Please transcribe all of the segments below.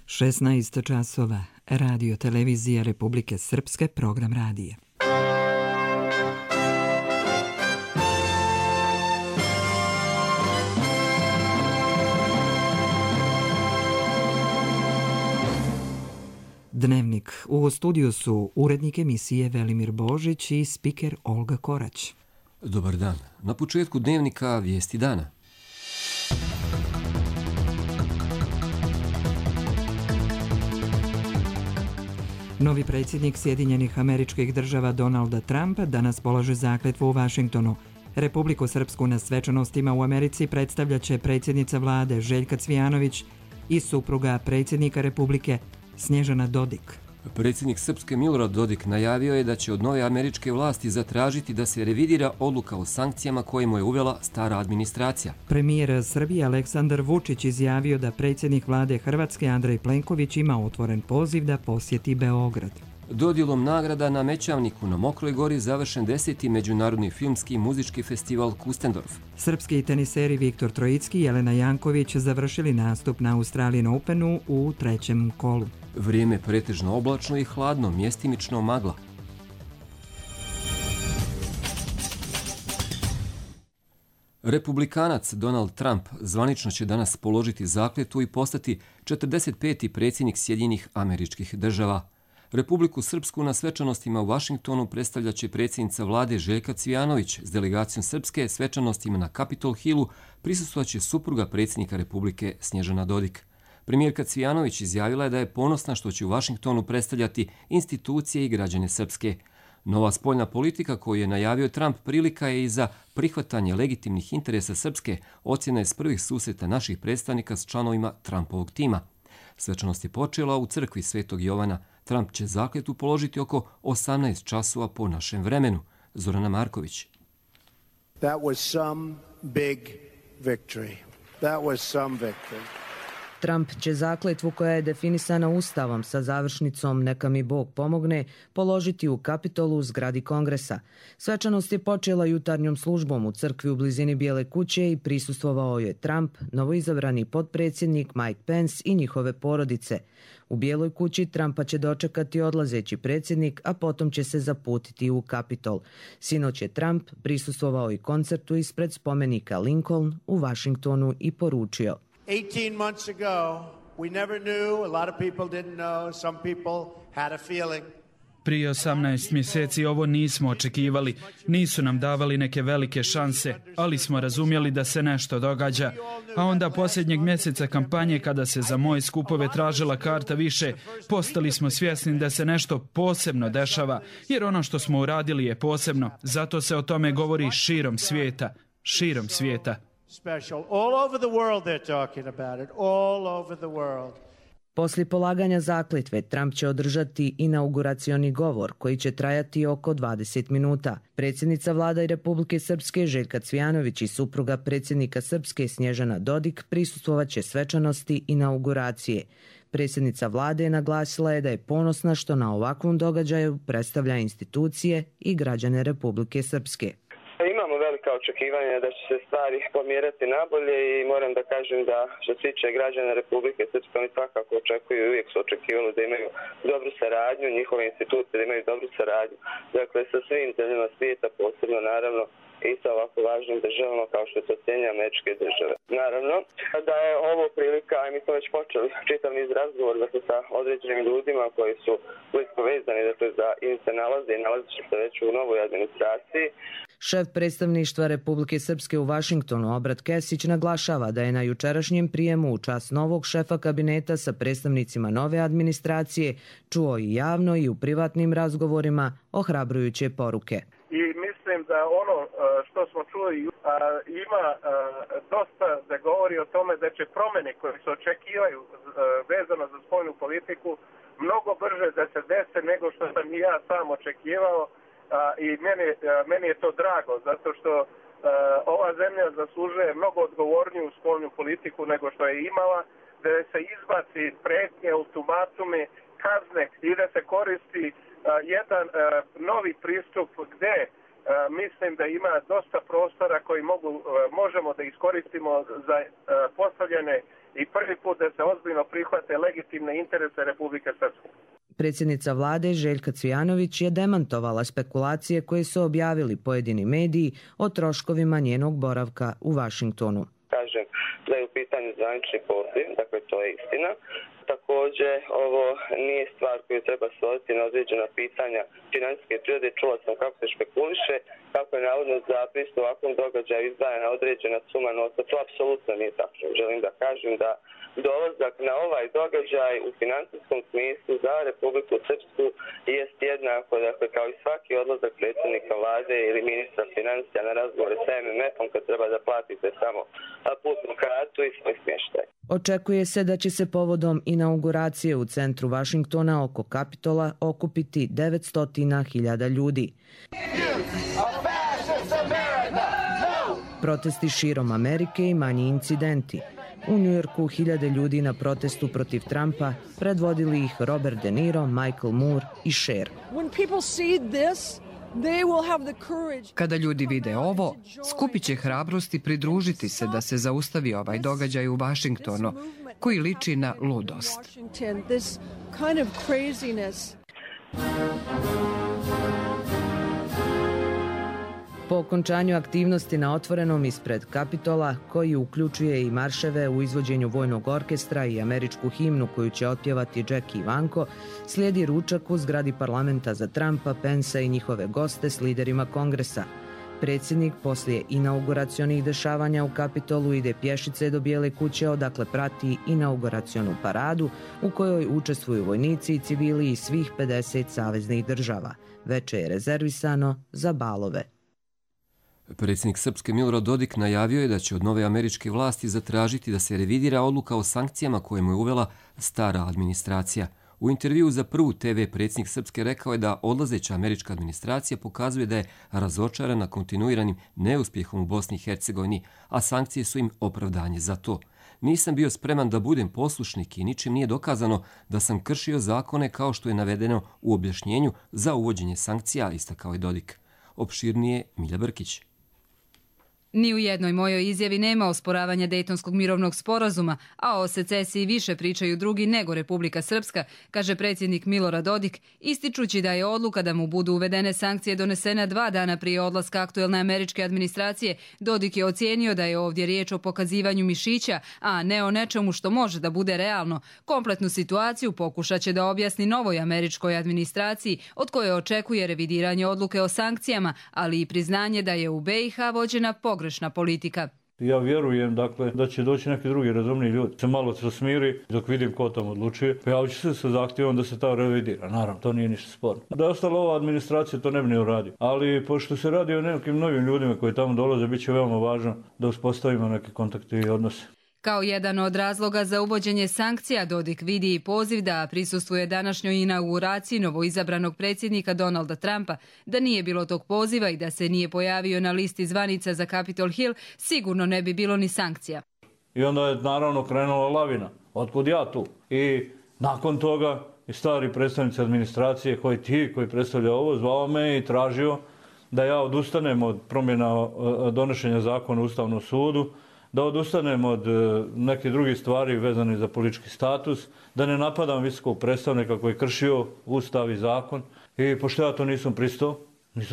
16 časova, Radio Televizija Republike Srpske, program radija. Dnevnik. U studiju su urednik emisije Velimir Božić i spiker Olga Korać. Dobar dan. Na početku dnevnika vijesti dana. Novi predsjednik Sjedinjenih Američkih Država Donalda Trumpa danas polaže zakletvu u Vašingtonu. Republiku Srpsku na svečanostima u Americi predstavljaće predsjednica vlade Željka Cvijanović i supruga predsjednika Republike Snježana Dodik. Predsjednik Srpske Milorad Dodik najavio je da će od nove američke vlasti zatražiti da se revidira odluka o sankcijama koje mu je uvela stara administracija. Premijer Srbije Aleksandar Vučić izjavio da predsjednik vlade Hrvatske Andrej Plenković ima otvoren poziv da posjeti Beograd. Dodjelom nagrada na Mećavniku na Mokroj gori završen 10. Međunarodni filmski i muzički festival Kustendorf. Srpski teniseri Viktor Trojicki i Jelena Janković završili nastup na Australian Openu u trećem kolu. Vrijeme pretežno oblačno i hladno, mjestimično magla. Republikanac Donald Trump zvanično će danas položiti zakletvu i postati 45. predsjednik Sjedinjenih Američkih Država. Republiku Srpsku na svečanostima u Vašingtonu predstavljaće predsjednica vlade Željka Cvijanović. S delegacijom Srpske svečanostima na Capitol Hillu prisustvovat supruga predsjednika Republike Snježana Dodik. Premijerka Cvijanović izjavila je da je ponosna što će u Vašingtonu predstavljati institucije i građane Srpske. Nova spoljna politika koju je najavio Trump prilika je i za prihvatanje legitimnih interesa Srpske, ocjena je s prvih susreta naših predstavnika s članovima Trumpovog tima. Svečanost je počela u crkvi Svetog Jovana. Trump će zakletvu položiti oko 18 časova po našem vremenu. Zorana Marković. That was some big victory. That was some victory. Trump će zakletvu koja je definisana Ustavom sa završnicom Neka mi Bog pomogne položiti u Kapitolu u zgradi Kongresa. Svečanost je počela jutarnjom službom u crkvi u blizini Bijele kuće i prisustvovao je Trump, novoizabrani potpredsjednik Mike Pence i njihove porodice. U Bijeloj kući Trumpa će dočekati odlazeći predsjednik, a potom će se zaputiti u Kapitol. Sinoć je Trump prisustvovao i koncertu ispred spomenika Lincoln u Vašingtonu i poručio: 18 months ago, we never knew, a lot of people didn't know, some people had a feeling. Prije 18 mjeseci ovo nismo očekivali, nisu nam davali neke velike šanse, ali smo razumjeli da se nešto događa. A onda posljednjeg mjeseca kampanje, kada se za moje skupove tražila karta više, postali smo svjesni da se nešto posebno dešava, jer ono što smo uradili je posebno. Zato se o tome govori širom svijeta, širom svijeta. Special. All over the world they're talking about it. All over the world. Poslije polaganja zakletve, Trump će održati inauguracioni govor koji će trajati oko 20 minuta. Predsjednica vlada i Republike Srpske Željka Cvijanović i supruga predsjednika Srpske Snježana Dodik prisustvovat će svečanosti inauguracije. Predsjednica vlade je naglasila da je ponosna što na ovakvom događaju predstavlja institucije i građane Republike Srpske. Imamo velika očekivanja da će se stvari pomjerati nabolje i moram da kažem da što se tiče građana Republike Srpske, oni svakako očekuju i uvijek su očekivali da imaju dobru saradnju, njihove institucije da imaju dobru saradnju. Dakle, sa svim zemljama svijeta, posebno naravno i sa ovako važnim državama kao što je to Sjedinjene Američke Države. Naravno da je ovo prilika, a mi smo već počeli čitav niz razgovora sa određenim ljudima koji su blisko vezani ili se nalaze i nalazi se već u novoj administraciji. Šef predstavništva Republike Srpske u Vašingtonu Obrat Kesić naglašava da je na jučerašnjem prijemu u čast novog šefa kabineta sa predstavnicima nove administracije čuo i javno i u privatnim razgovorima ohrabrujuće poruke. I mislim da ono što smo čuli ima dosta da govori o tome da će promjene koje se očekivaju vezano za spoljnu politiku mnogo brže da se dese nego što sam i ja sam očekivao. I meni je to drago, zato što ova zemlja zaslužuje mnogo odgovorniju spoljnu politiku nego što je imala, da se izbaci prijetnje, ultimatume, kazne i da se koristi jedan novi pristup gdje mislim da ima dosta prostora koji možemo da iskoristimo za postavljene i prvi put da se ozbiljno prihvate legitimne interese Republike Srpske. Predsjednica vlade Željka Cvijanović je demantovala spekulacije koje su objavili pojedini mediji o troškovima njenog boravka u Vašingtonu. Kažem da je u pitanju zvanični poziv, dakle to je istina. Također, ovo nije stvar koju treba svoditi na određena pitanja financijske prirode. Čula sam kako se špekuliše, kako je navodno za pristup ovakvom događaju izdvajana određena suma novca. To apsolutno nije tačno. Želim da kažem da dolazak na ovaj događaj u financijskom smislu za Republiku Srpsku jest jednako, dakle, kao i svaki odlazak predsjednika vlade ili ministra financija na razgovore sa MMF-om kad treba da platite samo putnu kartu i svoj smještaj. Očekuje se da će se povodom inauguracije u centru Vašingtona oko Kapitola okupiti 900.000 ljudi. Protesti širom Amerike i manji incidenti. U Njujorku hiljade ljudi na protestu protiv Trumpa, predvodili ih Robert De Niro, Michael Moore i Cher. Kada ljudi vide ovo, skupit će hrabrosti pridružiti se da se zaustavi ovaj događaj u Vašingtonu, koji liči na ludost. Po okončanju aktivnosti na otvorenom ispred Kapitola, koji uključuje i marševe u izvođenju vojnog orkestra i američku himnu koju će otpjevati Jack i Ivanko, slijedi ručak u zgradi parlamenta za Trumpa, Pensa i njihove goste s liderima kongresa. Predsjednik poslije inauguracionih dešavanja u Kapitolu ide pješice do Bijele kuće, odakle prati inauguracionu paradu u kojoj učestvuju vojnici i civili iz svih 50 saveznih država. Veče je rezervisano za balove. Predsjednik Srpske Milorad Dodik najavio je da će od nove američke vlasti zatražiti da se revidira odluka o sankcijama koje mu je uvela stara administracija. U intervjuu za Prvu TV predsjednik Srpske rekao je da odlazeća američka administracija pokazuje da je razočarana kontinuiranim neuspjehom u Bosni i Hercegovini, a sankcije su im opravdanje za to. Nisam bio spreman da budem poslušnik i ničim nije dokazano da sam kršio zakone kao što je navedeno u objašnjenju za uvođenje sankcija, istakao je Dodik. Opširnije Milja Brkić. Ni u jednoj mojoj izjavi nema osporavanja Dejtonskog mirovnog sporazuma, a o secesiji više pričaju drugi nego Republika Srpska, kaže predsjednik Milorad Dodik, ističući da je odluka da mu budu uvedene sankcije donesena 2 dana prije odlaska aktuelne američke administracije. Dodik je ocijenio da je ovdje riječ o pokazivanju mišića, a ne o nečemu što može da bude realno. Kompletnu situaciju pokušat će da objasni novoj američkoj administraciji, od koje očekuje revidiranje odluke o sankcijama, ali i priznanje da je u BiH vođena pogrešna politika. Ja vjerujem da će doći neki drugi razumni ljudi. Se malo se smiri dok vidim ko tamo odlučuje. Pojavit će se sa zahtjevom da se ta revidira. Naravno, to nije ništa sporno. Da je ostala ova administracija, to ne bi ni uradio. Ali pošto se radi o nekim novim ljudima koji tamo dolaze, bit će veoma važno da uspostavimo neke kontakte i odnose. Kao jedan od razloga za uvođenje sankcija, Dodik vidi i poziv da prisustvuje današnjoj inauguraciji novoizabranog predsjednika Donalda Trumpa. Da nije bilo tog poziva i da se nije pojavio na listi zvanica za Capitol Hill, sigurno ne bi bilo ni sankcija. I onda je naravno krenula lavina. Otkud ja tu? I nakon toga i stari predstavnici administracije koji predstavlja ovo, zvao me i tražio da ja odustanem od promjena donošenja zakona u Ustavnom sudu, da odustanem od nekih drugih stvari vezanih za politički status, da ne napadam visokog predstavnika koji je kršio Ustav i zakon. I pošto ja to nisam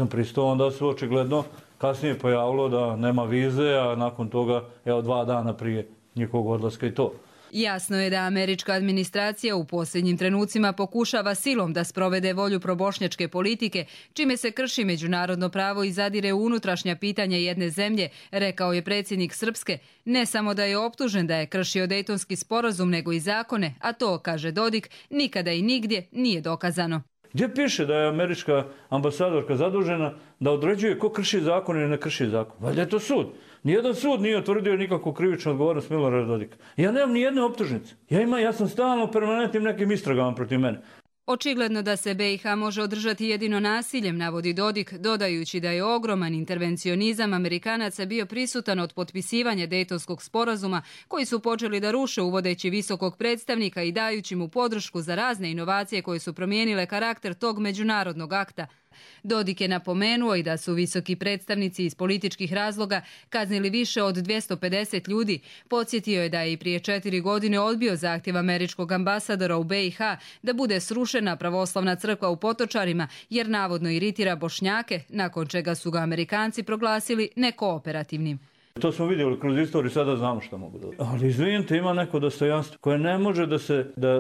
pristao, onda se očigledno kasnije pojavilo da nema vize, a nakon toga, 2 dana prije njihovog odlaska i to. Jasno je da američka administracija u posljednjim trenucima pokušava silom da sprovede volju probošnjačke politike, čime se krši međunarodno pravo i zadire u unutrašnja pitanja jedne zemlje, rekao je predsjednik Srpske. Ne samo da je optužen da je kršio Dejtonski sporazum, nego i zakone, a to, kaže Dodik, nikada i nigdje nije dokazano. Gdje piše da je američka ambasadorka zadužena da određuje ko krši zakon ili ne krši zakon? Valjda je to sud. Nijedan sud nije utvrdio nikakvu krivičnu odgovornost Milorada Dodika. Ja nemam ni jedne optužnice. Ja sam stalno permanentnim nekim istragama protiv mene. Očigledno da se BiH može održati jedino nasiljem, navodi Dodik, dodajući da je ogroman intervencionizam Amerikanaca bio prisutan od potpisivanja Dejtonskog sporazuma, koji su počeli da ruše uvodeći visokog predstavnika i dajući mu podršku za razne inovacije koje su promijenile karakter tog međunarodnog akta. Dodik je napomenuo i da su visoki predstavnici iz političkih razloga kaznili više od 250 ljudi. Podsjetio je da je i prije 4 godine odbio zahtjev američkog ambasadora u BiH da bude srušena pravoslavna crkva u Potočarima jer navodno iritira Bošnjake, nakon čega su ga Amerikanci proglasili nekooperativnim. To smo vidjeli kroz istoriju, sada znamo što mogu dobiti. Ali izvinite, ima neko dostojanstvo koje ne može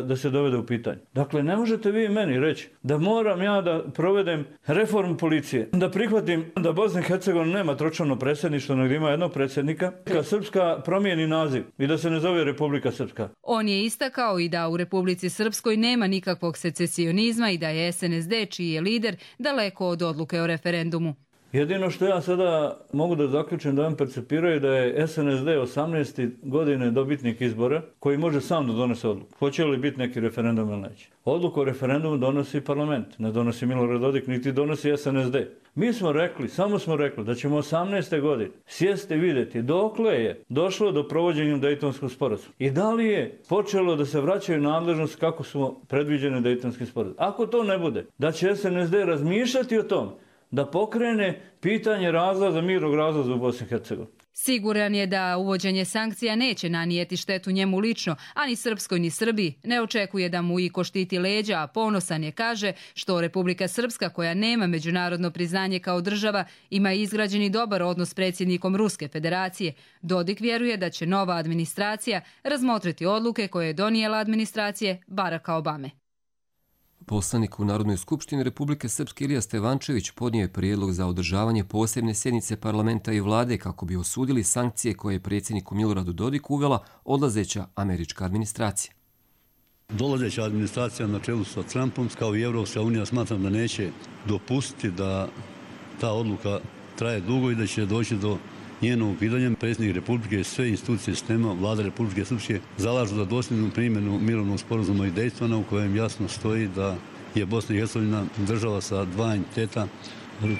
da se dovede u pitanje. Dakle, ne možete vi meni reći da moram ja da provedem reformu policije, da prihvatim da Bosna i Hercegovina nema tročlano predsjedništvo, nego ima jednog predsjednika, kad Srpska promijeni naziv i da se ne zove Republika Srpska. On je istakao i da u Republici Srpskoj nema nikakvog secesionizma i da je SNSD, čiji je lider, daleko od odluke o referendumu. Jedino što ja sada mogu da zaključim da on percepiraju da je SNSD 18. godine dobitnik izbora koji može sam da donese odluku. Hoće li biti neki referendum ili neće? Odluku o referendumu donosi parlament, ne donosi Milorad Dodik, niti donosi SNSD. Mi smo rekli, samo smo rekli da ćemo 18. godine sjesti i vidjeti dokle je došlo do provođenja Dejtonskog sporazuma. I da li je počelo da se vraćaju nadležnosti kako su predviđene Dejtonskim sporazumom. Ako to ne bude, da će SNSD razmišljati o tom da pokrene pitanje razlaza, mirnog razlaza u Bosni i Hercegovini. Siguran je da uvođenje sankcija neće nanijeti štetu njemu lično, a ni Srpskoj ni Srbiji. Ne očekuje da mu iko štiti leđa, a ponosan je, kaže, što Republika Srpska, koja nema međunarodno priznanje kao država, ima izgrađeni dobar odnos s predsjednikom Ruske federacije. Dodik vjeruje da će nova administracija razmotriti odluke koje je donijela administracije Baracka Obame. Poslanik u Narodnoj skupštini Republike Srpske Ilija Stevančević podnio je prijedlog za održavanje posebne sjednice parlamenta i vlade kako bi osudili sankcije koje je predsjedniku Miloradu Dodiku uvela odlazeća američka administracija. Dolazeća administracija na čelu sa Trumpom, kao i Evropska unija, smatram da neće dopustiti da ta odluka traje dugo i da će doći do njenog ukidanja. Predsjednik Republike i sve institucije sistema vlade Republike Srpske zalažu za dosljednu primjenu mirovnog sporazuma i Dejtona u kojem jasno stoji da je Bosna i Hercegovina država sa dva entiteta,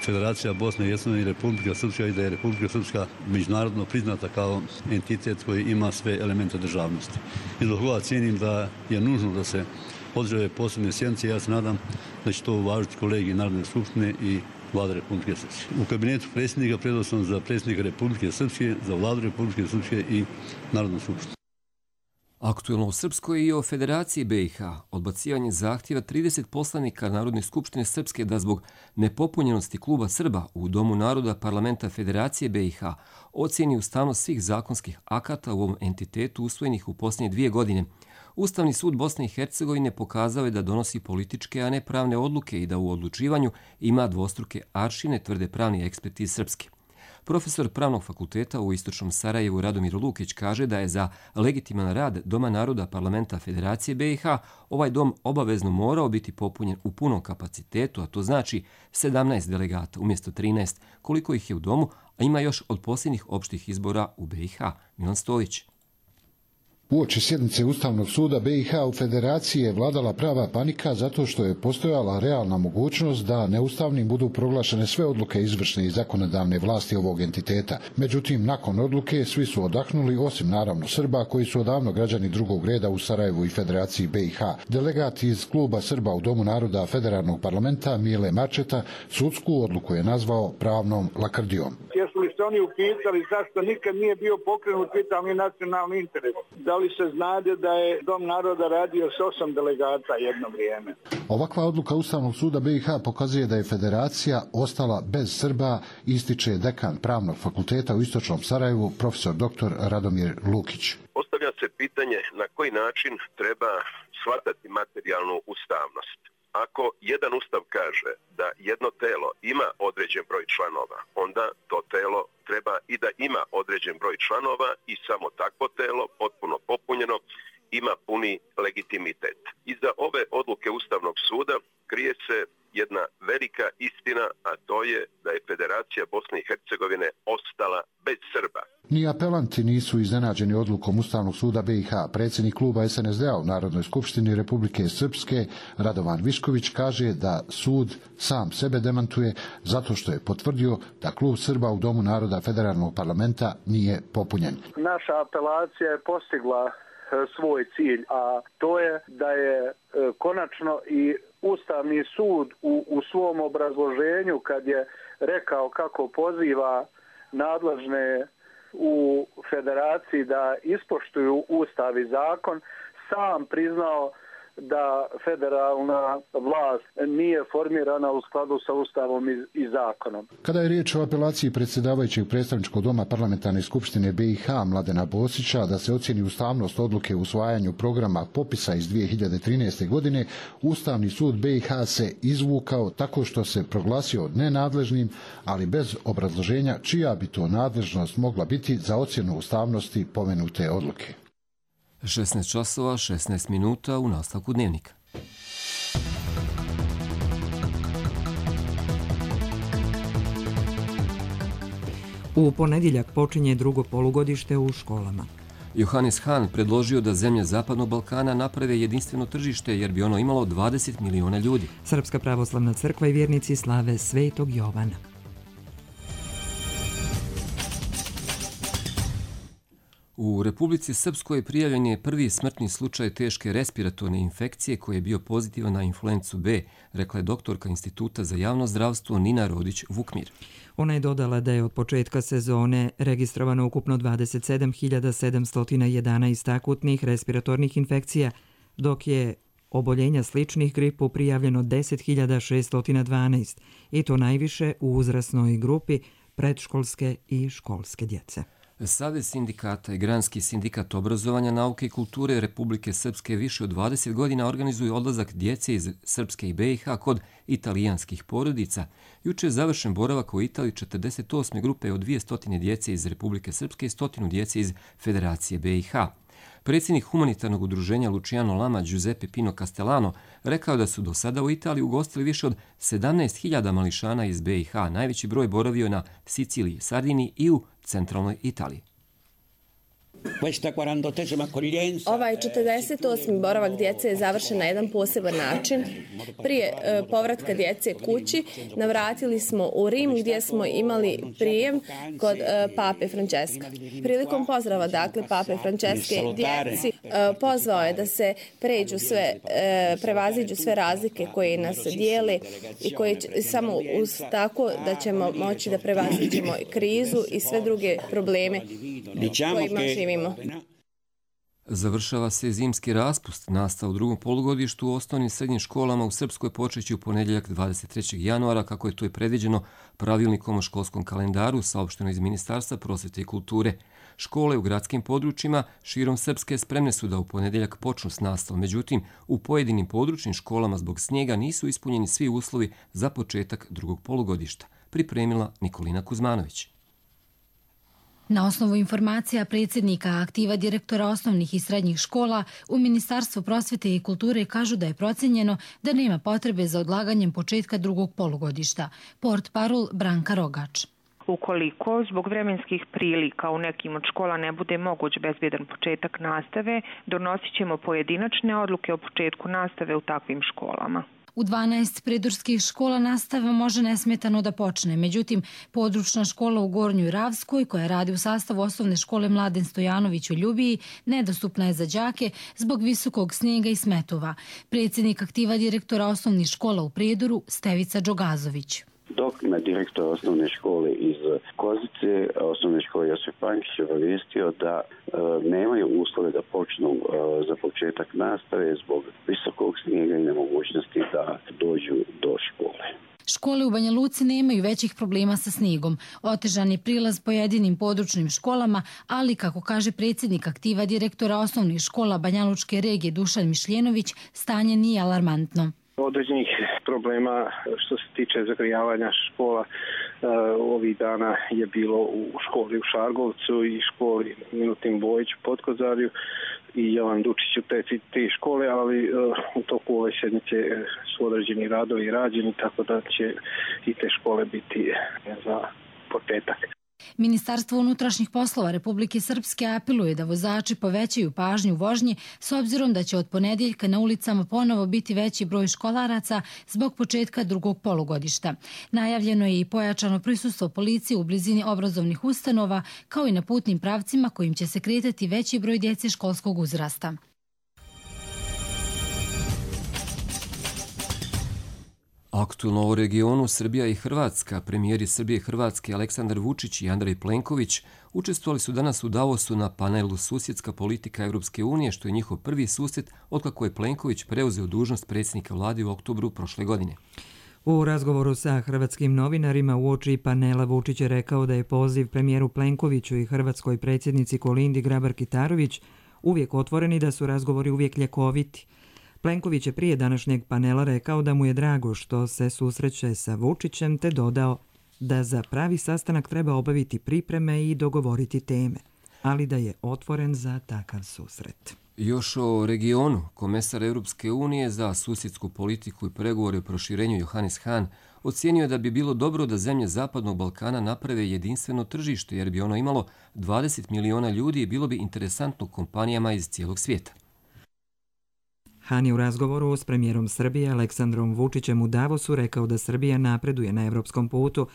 Federacija Bosne i Hercegovine i Republika Srpska, i da je Republika Srpska međunarodno priznata kao entitet koji ima sve elemente državnosti. I zbog toga cijenim da je nužno da se održe posebne sjednice. Ja se nadam da će to uvažiti kolegi Narodne skupštine i Vlade Republike Srpske. U kabinetu predsjednika predao sam za predsjednika Republike Srpske, za Vladu Republike Srpske i Narodnu skupštinu. Aktuelno u Srpskoj i o Federaciji BiH odbacivanje zahtjeva 30 poslanika Narodne skupštine Srpske da zbog nepopunjenosti kluba Srba u Domu naroda parlamenta Federacije BiH ocijeni ustavnost svih zakonskih akata u ovom entitetu usvojenih u posljednje 2 godine. Ustavni sud Bosne i Hercegovine pokazao je da donosi političke, a ne pravne odluke i da u odlučivanju ima dvostruke aršine, tvrde pravni eksperti iz Srpske. Profesor Pravnog fakulteta u Istočnom Sarajevu Radomir Lukić kaže da je za legitiman rad Doma naroda parlamenta Federacije BiH ovaj dom obavezno morao biti popunjen u punom kapacitetu, a to znači 17 delegata umjesto 13, koliko ih je u domu, a ima još od posljednjih opštih izbora u BiH. Milan Stojić. Uoči sjednice Ustavnog suda BiH u Federaciji je vladala prava panika zato što je postojala realna mogućnost da neustavnim budu proglašene sve odluke izvršne i zakonodavne vlasti ovog entiteta. Međutim, nakon odluke svi su odahnuli, osim naravno Srba koji su odavno građani drugog reda u Sarajevu i Federaciji BiH. Delegat iz kluba Srba u Domu naroda Federalnog parlamenta Mile Marčeta sudsku odluku je nazvao pravnom lakrdijom. Jesu li se oni upitali zašto nikad nije bio pokrenut vitalni nacionalni interes? Da li se znade da je Dom naroda radio s 8 delegata jedno vrijeme? Ovakva odluka Ustavnog suda BiH pokazuje da je Federacija ostala bez Srba, ističe dekan Pravnog fakulteta u Istočnom Sarajevu, profesor dr. Radomir Lukić. Postavlja se pitanje na koji način treba shvatati materijalnu ustavnost. Ako jedan ustav kaže da jedno telo ima određen broj članova, onda to telo treba i da ima određen broj članova i samo takvo telo, potpuno popunjeno, ima puni legitimitet. Iza ove odluke Ustavnog suda krije se jedna velika istina, a to je da je Federacija Bosne i Hercegovine ostala bez Srba. Ni apelanti nisu iznenađeni odlukom Ustavnog suda BiH. Predsjednik kluba SNSD-a u Narodnoj skupštini Republike Srpske, Radovan Višković, kaže da sud sam sebe demantuje zato što je potvrdio da klub Srba u Domu naroda Federalnog parlamenta nije popunjen. Naša apelacija je postigla svoj cilj, a to je da je konačno i Ustavni sud u svom obrazloženju kad je rekao kako poziva nadležne u federaciji da ispoštuju Ustav i zakon, sam priznao da federalna vlast nije formirana u skladu sa Ustavom i zakonom. Kada je riječ o apelaciji predsjedavajućeg predstavničkog doma Parlamentarne skupštine BiH Mladena Bosića da se ocjeni ustavnost odluke o usvajanju programa popisa iz 2013. godine, Ustavni sud BiH se izvukao tako što se proglasio nenadležnim, ali bez obrazloženja čija bi to nadležnost mogla biti za ocjenu ustavnosti pomenute odluke. 16 časova, 16 minuta u nastavku dnevnika. U ponedjeljak počinje drugo polugodište u školama. Johannes Hahn predložio da zemlje Zapadnog Balkana naprave jedinstveno tržište jer bi ono imalo 20 miliona ljudi. Srpska pravoslavna crkva i vjernici slave Svetog Jovana. U Republici Srpskoj prijavljen je prvi smrtni slučaj teške respiratorne infekcije koji je bio pozitivan na influencu B, rekla je doktorka Instituta za javno zdravstvo Nina Rodić-Vukmir. Ona je dodala da je od početka sezone registrovano ukupno 27.711 akutnih respiratornih infekcija, dok je oboljenja sličnih gripu prijavljeno 10.612 i to najviše u uzrasnoj grupi predškolske i školske djece. Savez sindikata i Granski sindikat obrazovanja, nauke i kulture Republike Srpske više od 20 godina organizuju odlazak djece iz Srpske i BiH kod italijanskih porodica. Juče je završen boravak u Italiji 48. grupe od 200 djece iz Republike Srpske i 100 djece iz Federacije BiH. Predsjednik humanitarnog udruženja Luciano Lama Giuseppe Pino Castellano rekao da su do sada u Italiji ugostili više od 17.000 mališana iz BiH. Najveći broj boravio na Siciliji, Sardiniji i u centralnoj Italiji. Ovaj 48. boravak djece je završen na jedan poseban način. Prije povratka djece kući navratili smo u Rim gdje smo imali prijem kod pape Franceska. Prilikom pozdrava pape Franceske djeci pozvao je da se prevaziđu sve razlike koje nas dijele i koje samo tako da ćemo moći da prevaziđemo krizu i sve druge probleme kojima živimo. Završava se zimski raspust. Nastava u drugom polugodištu u osnovnim i srednjim školama u Srpskoj počeće u ponedjeljak 23. januara, kako je to i predviđeno pravilnikom o školskom kalendaru saopšteno iz Ministarstva prosvete i kulture. Škole u gradskim područjima širom Srpske spremne su da u ponedjeljak počnu s nastavom. Međutim, u pojedinim područnim školama zbog snijega nisu ispunjeni svi uslovi za početak drugog polugodišta. Pripremila Nikolina Kuzmanović. Na osnovu informacija predsjednika aktiva direktora osnovnih i srednjih škola u Ministarstvu prosvete i kulture kažu da je procenjeno da nema potrebe za odlaganjem početka drugog polugodišta. Portparol Branka Rogač. Ukoliko zbog vremenskih prilika u nekim od škola ne bude moguć bezbjedan početak nastave, donosit ćemo pojedinačne odluke o početku nastave u takvim školama. U 12 pridurskih škola nastava može nesmetano da počne. Međutim, područna škola u Gornjoj Ravskoj, koja radi u sastavu osnovne škole Mladen Stojanović u Ljubiji, nedostupna je za đake zbog visokog snijega i smetova. Predsjednik aktiva direktora osnovnih škola u Prijedoru, Stevica Đogazović. Dok me direktor osnovne škole iz Kozice, osnovne škole Josip Pančić, obavijestio da nemaju uslove da počnu za početak nastave zbog visokog snijega i nemogućnosti da dođu do škole. Škole u Banja Luci nemaju većih problema sa snijegom. Otežan je prilaz pojedinim područnim školama, ali, kako kaže predsjednik aktiva direktora osnovnih škola Banja Lučke regije Dušan Mišljenović, stanje nije alarmantno. Određenih problema što se tiče zagrijavanja škola ovih dana je bilo u školi u Šargovcu i školi Milutin Bojić u Potkozarju i Jovan Dučić u te škole, ali u toku ove sedmice su određeni radovi rađeni, tako da će i te škole biti za početak. Ministarstvo unutrašnjih poslova Republike Srpske apeluje da vozači povećaju pažnju u vožnji s obzirom da će od ponedjeljka na ulicama ponovo biti veći broj školaraca zbog početka drugog polugodišta. Najavljeno je i pojačano prisustvo policije u blizini obrazovnih ustanova, kao i na putnim pravcima kojim će se kretati veći broj djece školskog uzrasta. Aktualno u regionu Srbija i Hrvatska, premijeri Srbije i Hrvatske Aleksandar Vučić i Andrej Plenković učestvovali su danas u Davosu na panelu Susjedska politika Evropske unije, što je njihov prvi susret otkako je Plenković preuzeo dužnost predsjednika vlade u oktobru prošle godine. U razgovoru sa hrvatskim novinarima uoči panela Vučić je rekao da je poziv premijeru Plenkoviću i hrvatskoj predsjednici Kolindi Grabar-Kitarović uvijek otvoreni, da su razgovori uvijek ljekoviti. Plenković je prije današnjeg panela rekao da mu je drago što se susreće sa Vučićem, te dodao da za pravi sastanak treba obaviti pripreme i dogovoriti teme, ali da je otvoren za takav susret. Još o regionu, komesar Europske unije za susjedsku politiku i pregovore o proširenju Johannes Hahn ocijenio je da bi bilo dobro da zemlje Zapadnog Balkana naprave jedinstveno tržište, jer bi ono imalo 20 miliona ljudi i bilo bi interesantno kompanijama iz cijelog svijeta. Hahn je u razgovoru s premijerom Srbije Aleksandrom Vučićem u Davosu rekao da Srbija napreduje na evropskom putu,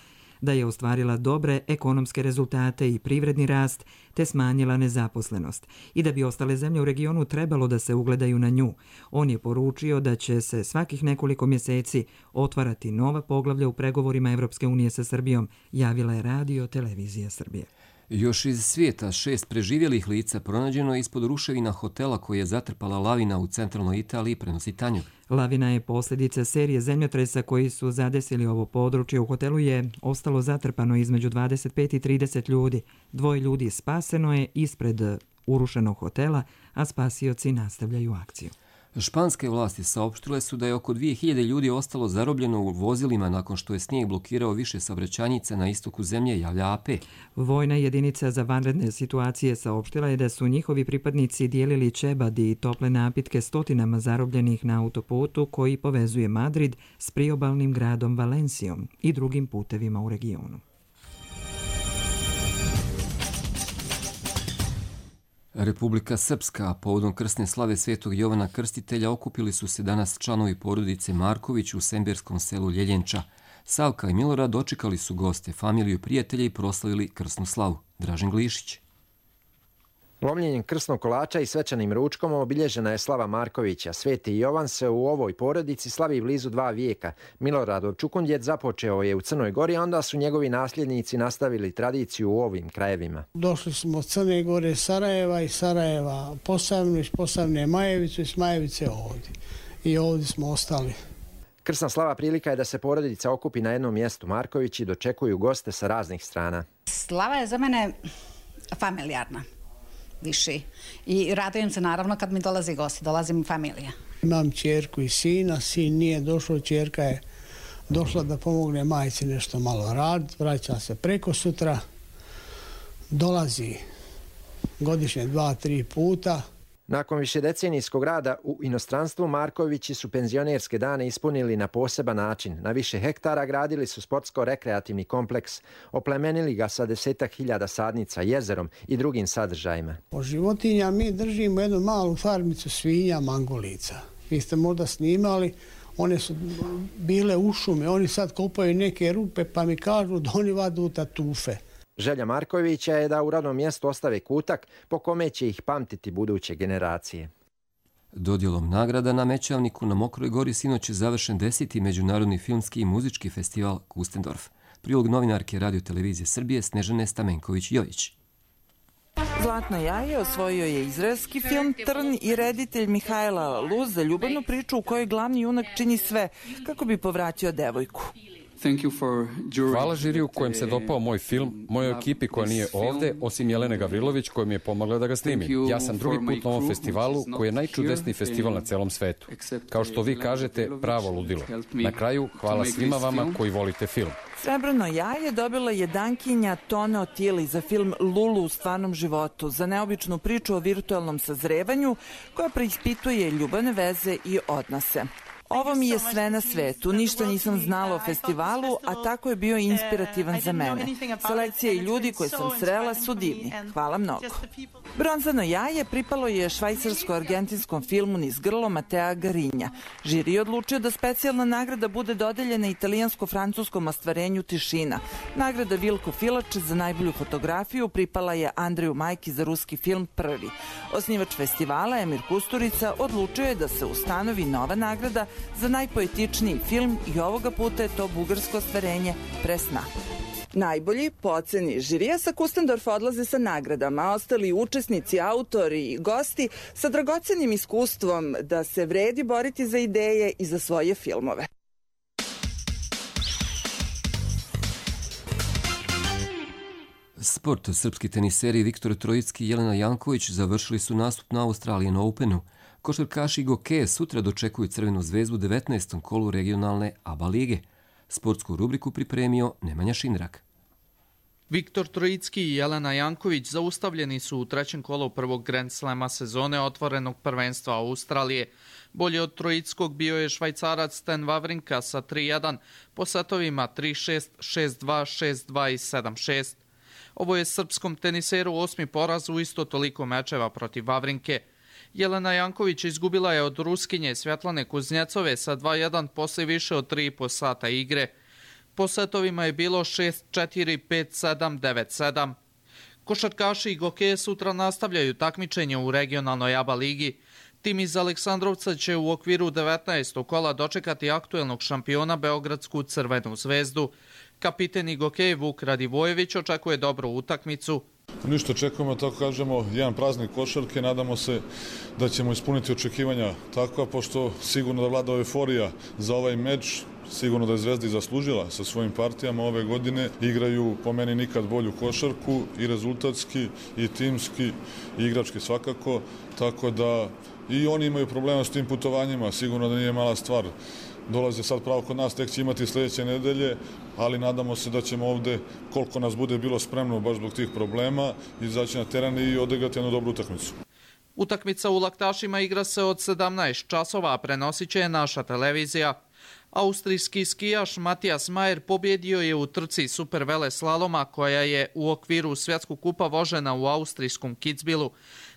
da je ostvarila dobre ekonomske rezultate i privredni rast, te smanjila nezaposlenost i da bi ostale zemlje u regionu trebalo da se ugledaju na nju. On je poručio da će se svakih nekoliko mjeseci otvarati nova poglavlja u pregovorima Evropske unije sa Srbijom, javila je Radio Televizija Srbije. Još iz svijeta 6 preživjelih lica pronađeno je ispod ruševina hotela koji je zatrpala lavina u centralnoj Italiji, prenosi Tanjug. Lavina je posljedica serije zemljotresa koji su zadesili ovo područje. U hotelu je ostalo zatrpano između 25 i 30 ljudi. 2 ljudi spaseno je ispred urušenog hotela, a spasioci nastavljaju akciju. Španske vlasti saopštile su da je oko 2000 ljudi ostalo zarobljeno u vozilima nakon što je snijeg blokirao više saobraćajnica na istoku zemlje, javlja AP. Vojna jedinica za vanredne situacije saopštila je da su njihovi pripadnici dijelili čebad i tople napitke stotinama zarobljenih na autoputu koji povezuje Madrid s priobalnim gradom Valencijom i drugim putevima u regionu. Republika Srpska, povodom krsne slave Svetog Jovana Krstitelja, okupili su se danas članovi porodice Marković u semberskom selu Ljeljenča. Savka i Milorad dočekali su goste, familiju i prijatelje i proslavili krsnu slavu. Dražen Glišić. Lomljenjem krsnog kolača i svečanim ručkom obilježena je slava Markovića. Sveti Jovan se u ovoj porodici slavi blizu 2 vijeka. Miloradov čukundjet započeo je u Crnoj Gori, a onda su njegovi nasljednici nastavili tradiciju u ovim krajevima. Došli smo od Crne Gore, Sarajeva i Sarajeva Posavnu, iz Posavne Majevicu i s Majevice ovdje. I ovdje smo ostali. Krsna slava prilika je da se porodica okupi na jednom mjestu. Markovići dočekuju goste sa raznih strana. Slava je za mene familijarna. Više. I radujem se naravno kad mi dolazi gosti, dolazi mi familija. Imam ćerku i sina, sin nije došao, ćerka je došla da pomogne majci nešto malo rad, vraća se preko sutra, dolazi godišnje 2-3 puta. Nakon višedecenijskog rada u inostranstvu, Markovići su penzionerske dane ispunili na poseban način. Na više hektara gradili su sportsko-rekreativni kompleks, oplemenili ga sa 10.000 sadnica, jezerom i drugim sadržajima. O životinja mi držimo jednu malu farmicu svinja, mangolica. Vi ste možda snimali, one su bile u šumi, oni sad kopaju neke rupe pa mi kažu da oni vadu tatufe. Želja Markovića je da u radnom mjestu ostave kutak po kome će ih pamtiti buduće generacije. Dodjelom nagrada na Mećavniku na Mokroj Gori sinoć je završen 10. Međunarodni filmski i muzički festival Kustendorf. Prilog novinarke Radio Televizije Srbije Snežane Stamenković-Jojić. Zlatno jaje osvojio je izraelski film Trn i reditelj Mihajla Luz za ljubavnu priču u kojoj glavni junak čini sve kako bi povratio devojku. Hvala žiriju kojem se dopao moj film, mojoj ekipi koja nije ovdje, osim Jelene Gavrilović koja mi je pomogla da ga snimim. Ja sam drugi put na ovom festivalu koji je najčudesniji festival na celom svetu. Kao što vi kažete, pravo ludilo. Na kraju, hvala svima vama koji volite film. Srebrno jaje dobila je dankinja Tone Otili za film Lulu u stvarnom životu, za neobičnu priču o virtualnom sazrevanju koja preispituje ljubavne veze i odnose. Ovo mi je sve na svetu, ništa nisam znala o festivalu, a tako je bio inspirativan za mene. Selekcija i ljudi koje sam srela su divni. Hvala mnogo. Bronzano jaje pripalo je švajcarsko-argentinskom filmu Niz grlo Matea Garinja. Žiri je odlučio da specijalna nagrada bude dodeljena italijansko-francuskom ostvarenju Tišina. Nagrada Vilko Filač za najbolju fotografiju pripala je Andreju Majki za ruski film Prvi. Osnivač festivala Emir Kusturica odlučio je da se ustanovi nova nagrada za najpoetičniji film i ovoga puta je to bugarsko ostvarenje Presna. Najbolji, po oceni žirija, sa Kustendorfa odlaze sa nagradama, a ostali učesnici, autori i gosti sa dragocenim iskustvom da se vredi boriti za ideje i za svoje filmove. Sport. Srpski teniseri Viktor Trojicki i Jelena Janković završili su nastup na Australian Openu. Košarkaši Gokeje sutra dočekuju Crvenu zvezdu u 19. kolu regionalne ABA lige. Sportsku rubriku pripremio Nemanja Šindrak. Viktor Trojicki i Jelena Janković zaustavljeni su u trećem kolu prvog Grand Slama sezone otvorenog prvenstva Australije. Bolji od Trojickog bio je Švajcarac Stan Wawrinka sa 3-1 po setovima 3-6, 6-2, 6-2 i 7-6. Ovo je srpskom teniseru 8. poraz u isto toliko mečeva protiv Wawrinke. Jelena Janković izgubila je od Ruskinje Svjetlane Kuznjecove sa 2-1 posle više od 3,5 sata igre. Po setovima je bilo 6-4, 5-7, 9-7. Košarkaši i Gokeje sutra nastavljaju takmičenje u regionalnoj ABA ligi. Tim iz Aleksandrovca će u okviru 19. kola dočekati aktuelnog šampiona Beogradsku Crvenu zvezdu. Kapiten i Gokej Vuk Radivojević očekuje dobru utakmicu. Ništa, očekujemo, tako kažemo, jedan praznik košarke. Nadamo se da ćemo ispuniti očekivanja takva, pošto sigurno da vlada euforija za ovaj meč. Sigurno da je Zvezda i zaslužila sa svojim partijama ove godine. Igraju po meni nikad bolju košarku i rezultatski i timski i igrački svakako. Tako da i oni imaju problema s tim putovanjima. Sigurno da nije mala stvar. Dolaze sad pravo kod nas, tek će imati sljedeće nedelje, ali nadamo se da ćemo ovde, koliko nas bude bilo spremno baš zbog tih problema, izaći na teren i odigrati jednu dobru utakmicu. Utakmica u Laktašima igra se od 17 časova, a prenosit će je naša televizija. Austrijski skijaš Matijas Majer pobjedio je u trci supervele slaloma koja je u okviru svjetskog kupa vožena u austrijskom Kitzbühelu.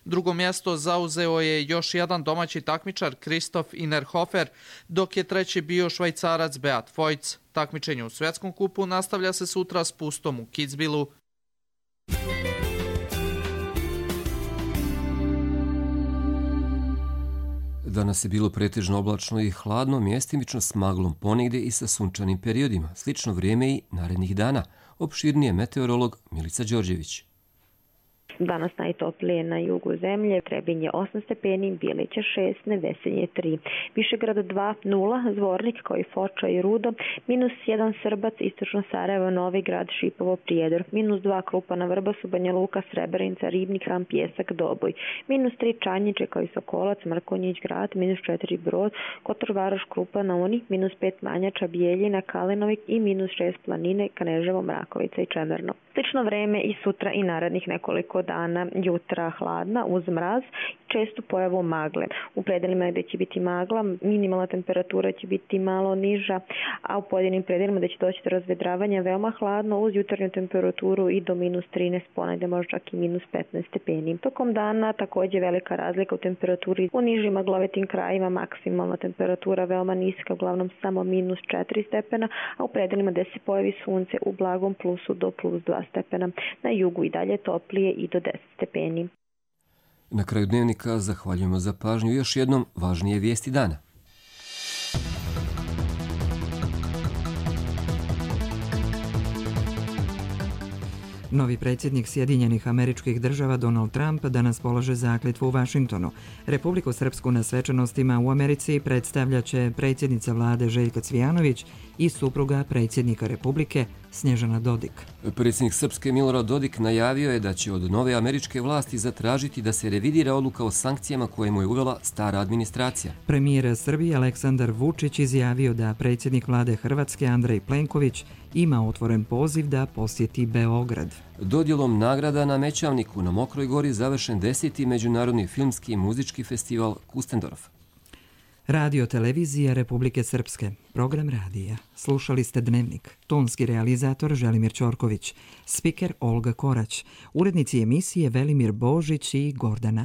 Drugo mjesto zauzeo je još jedan domaći takmičar Kristof Innerhofer, dok je treći bio Švajcarac Beat Voigt. Takmičenje u svjetskom kupu nastavlja se sutra s Pustom u Kitzbühelu. Danas je bilo pretežno oblačno i hladno, mjestimično s maglom ponegdje i sa sunčanim periodima. Slično vrijeme i narednih dana. Opširnije meteorolog Milica Đorđević. Danas najtoplije na jugu zemlje, Trebinje 8 stepeni, Bijelića 6, Nevesinje 3, Višegrad 2, 0, Zvornik kao i Foča i Rudo, -1 Srbac, Istočno Sarajevo, Novi Grad, Šipovo, Prijedor, -2 Krupana, Vrbasu, Banja Luka, Srebrenica, Ribnik, Ram, Pjesak, Doboj, -3 Čanjiče kao i Sokolac, Mrkonjić Grad, -4 Brod, Kotor Varoš, Krupana, Uni, -5 Manjača, Bijeljina, Kalinovik i -6 Planine, Kneževo, Mrakovica i Čemerno. Slično vreme i sutra i narednih nekoliko dana, jutra hladna uz mraz, čestu pojavu magle. U predelima gdje će biti magla, minimalna temperatura će biti malo niža, a u pojedinim predelima gdje će doći do razvedravanja veoma hladno uz jutarnju temperaturu i do -13, ponegdje možda čak i -15 stepeni. Tokom dana također velika razlika u temperaturi. U nižim maglovitim krajima maksimalna temperatura veoma niska, uglavnom samo -4 stepena, a u predelima gdje se pojavi sunce u blagom plusu do +2 stepena. Na jugu i dalje toplije i do 10 stepeni. Na kraju dnevnika zahvaljujemo za pažnju i još jednom važnije vijesti dana. Novi predsjednik Sjedinjenih Američkih Država Donald Trump danas polaže zakletvu u Vašingtonu. Republiku Srpsku na svečanostima u Americi predstavljaće predsjednica vlade Željka Cvijanović i supruga predsjednika Republike Snježana Dodik. Predsjednik Srpske Milorad Dodik najavio je da će od nove američke vlasti zatražiti da se revidira odluka o sankcijama koje mu je uvela stara administracija. Premijer Srbije Aleksandar Vučić izjavio da predsjednik vlade Hrvatske Andrej Plenković ima otvoren poziv da posjeti Beograd. Dodjelom nagrada na Mećavniku na Mokroj gori završen 10. Međunarodni filmski i muzički festival Kustendorf. Radio televizija Republike Srpske. Program radija. Slušali ste Dnevnik. Tonski realizator Želimir Ćorković. Spiker Olga Korać. Urednici emisije Velimir Božić i Gordana